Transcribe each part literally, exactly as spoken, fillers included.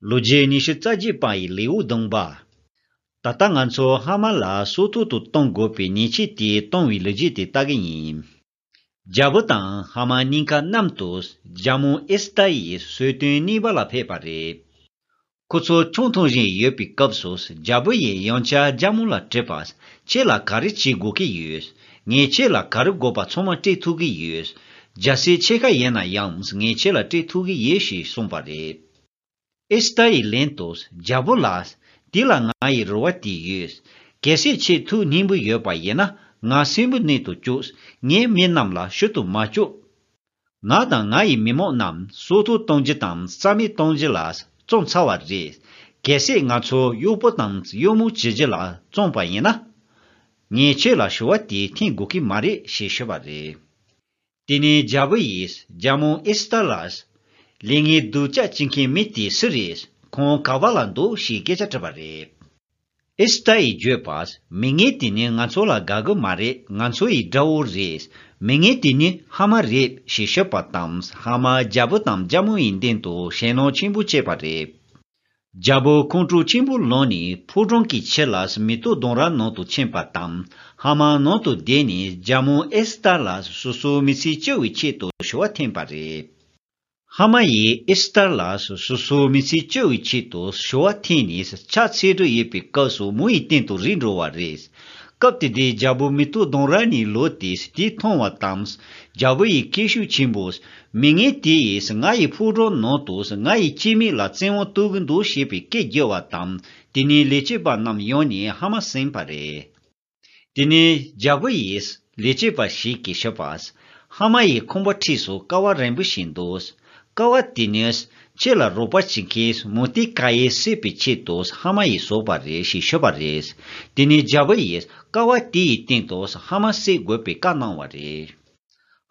ལོ་རྒྱུས་ཉི་ཤུ་རྩ་བརྒྱད་པ་ཡི་ལེའུ་བདུན་པ། ད་ལྟ་ང་ཚོ་ཧ་མ་ལ་སོ་ཐོག་ཏུ་གཏོང་དགོས་པའི་ཉེས་ཆད་དེ་གཏོང་བའི་ལོ་རྒྱུས་དེ་ལྟ་གི་ཡིན། རྒྱལ་པོ་དང་ཧ་མ་གཉིས་ཀ་མཉམ་དུ་རྒྱལ་མོ་ཨེ་སི་ཐར་ཡི་གསོལ་སྟོན་གནང་བ་ལ་ཕེབས་པ་རེད། ཁོ་ཚོ་ཆང་འཐུང་བཞིན་ཡོད་པའི་སྐབས་སུ་རྒྱལ་པོ་ཡིས་ཡང་བསྐྱར་རྒྱལ་མོ་ལ་དྲིས་པ། ཁྱེད་ལ་ག་རེ་བྱེད་དགོས་ཀྱི་ཡོད། ངས་ཁྱེད་ལ་ག་རེ་དགོས་པ་ཚང་མ་སྤྲད་ཐུབ་ཀྱི་ཡོད། རྒྱལ་སྲས་ཕྱེད་ཀ་ཡིན་ན་ཡང་ངས་ཁྱེད་ལ་སྤྲད་ཐུབ་ཀྱི་ཡོད་ཞེས་གསུངས་པ་རེད། ཨེ་སི་ཐར་ཡིས་ལན་དུ། རྒྱལ་པོ་ལགས། དེ་ལ་ང་ཡི་རེ་བ་དེ་ཡོད། གལ་སྲིད་ཁྱེད་ཐུགས་སྙིང་པོ་ཡོད་པ་ཡིན་ན་ང་གསོན་པོ་གནས་སུ་བཅུག་ངའི་མི་རྣམས་ལ་ཞུ་དུ་མ་བཅུག་ང་དང་ང་ཡི་མི་མང་རྣམས་སོ་ཐོག་གཏོང་རྒྱུ་དང་རྩ་མེད་གཏོང་རྒྱུ་ལ་བརྩོན་ཚར་བ་རེད། གལ་སྲིད་ང་ཚོ་གཡོག་པོ་དང་གཡོག་མོ་བྱེད་རྒྱུ་ལ་བརྩོན་པ་ཡིན་ན། ངས་ཁྱེད་ལ་ཞུ་བ་དེ་འཐེན་དགོས་ཀྱི་མ་རེད་ཞེས་ཞུས་པ་རེད། དེ་ནས་རྒྱལ་པོ་ཡིས་རྒྱལ་མོ་ཨེ་སི་ཐར་ལ། ལས་ངན་སྡུག་ཅག་བྱེད་མཁན་མི་དེ་སུ་རེད། ཁོང་ག་བ་ལ་འདུག་ཞེས་སྐད་ཆ་དྲིས་པ་རེད། ཨེ་སི་ཐར་ཡིས་བརྗོད་པ། མི་ངན་དེ་ནི་ང་ཚོ་ལ་དགའ་གི་མ་རེད། ང་ཚོ་ཡི་དགྲ་བོ་རེད། མི་ངན་དེ་ནི་ཧ་མ་རེད་ཞེས་ཤོད་པ་དང་ཧ་མ་རྒྱལ་པོ་དང་རྒྱལ་མོ་ཡི་མདུན་དུ་ཞེད་སྣང་ཆེན་པོ་སྐྱེས་པ་རེད། རྒྱལ་པོ་ཁོང་ཁྲོ་ཆེན་པོ་ལངས་ནས་ཕོ་བྲང་གི་ཕྱི་ལ་མེ་ཏོག་ལྡུམ་ར་ནང་དུ་ཕྱིན་པ་དང་ཧ་མ་ནང་དུ་བསྡད་ནས་རྒྱལ་མོ་ཨེ་སི་ཐར་ལ་སོ་སོའི་མི་ཚེ་སྐྱོབ་པའི་ཆེད་དུ་ཞུ་བ་འཐེན་པ་རེད། ཧ་མ་ཡིས་ཨེ་སི་ཐར་ལ་སོ་སོའི་མི་ཚེ་སྐྱོབ་པའི་ཆེད་དུ་ཞུ་བ་འཐེན་ནས་ཕྱག་འཚལ་དུ་ཡོད་པའི་སྐབས་སུ་མོ་ཡི་སྟེང་དུ་རིལ་འགྲོ་བ་རེད། སྐབས་དེ་དུས་རྒྱལ་པོ་མེ་ཏོག་ལྡུམ་ར་ནས་ལོག་སྟེ་དེ་མཐོང་བ་དང་། རྒྱལ་པོ་ཡི་སྐད་ཤུགས་ཆེན་པོས། མི་ངན་དེ་ཡིས་ང་ཡི་ཕོ་བྲང་ནང་དུ་ང་ཡི་སྐྱེ་དམན་ལ་བཙན་དབང་གཏོང་གི་འདུག་ཞེས་པའི་སྐད་བརྒྱབ་པ་དང་དེ་ནས་ལས་བྱེད་པ་རྣམས་ཡོང་ནས་ཧ་མ་ཟིན་པ་རེད། དེ་ནས་རྒྱལ་པོ་ཡིས་ལས་བྱེད་པ་ཞིག་གིས་ཞུས་པ། ཧ་མ་ཡི་ཁང་པ་འཁྲིས་སུ་ཀ་བ་རིང་པོ་ཞིག་འདུག་ཀ་བ་དེ་ནི་ཁྱེད་ལ་རོགས་པ་བྱེད་མཁན་མུ་ཏིག་ཀ་ཡེ་བསད་པའི་ཆེད་དུ་ཧ་མ་ཡིས་བཟོས་པ་རེད་ཞེས་ཞུས་པ་རེད། དེ་ནས་རྒྱལ་པོ་ཡིས་ཀ་བ་དེ་ཡི་སྟེང་དུ་ཧ་མ་བསད་དགོས་པའི་བཀའ་གནང་བ་རེད།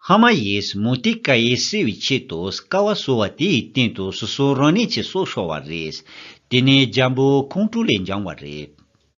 ཧ་མ་ཡིས་མུ་ཏིག་ཀ་ཡེ་བསད་པའི་ཆེད་དུ་ཀ་བ་བཟོས་པ་དེ་ཡི་སྟེང་དུ་སོ་སོ་རང་ཉིད་ཀྱི་སྲོག་ཤོར་བ་རེད། དེ་ནས་རྒྱལ་པོ་ཁོང་ཁྲོ་ལས་འགྱངས་པ་རེད།